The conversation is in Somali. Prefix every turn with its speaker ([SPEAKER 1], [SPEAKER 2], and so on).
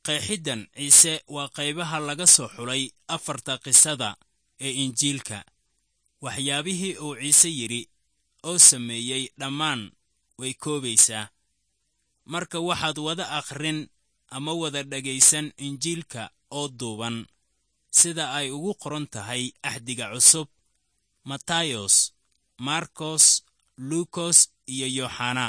[SPEAKER 1] Qeexiddan Ciise waa qaybaha laga soo xulay afarta qisada ee Injiilka. Waxyaabihii uu Ciise yidhi oo sameeyey dhammaan way koobaysaa. Marka waxaad wada akhrin ama wada dhegaysan Injiilka oo duuban sida ay ugu qoran tahay Axdiga Cusub, Matayos, Markos, Luukos iyo Yooxana.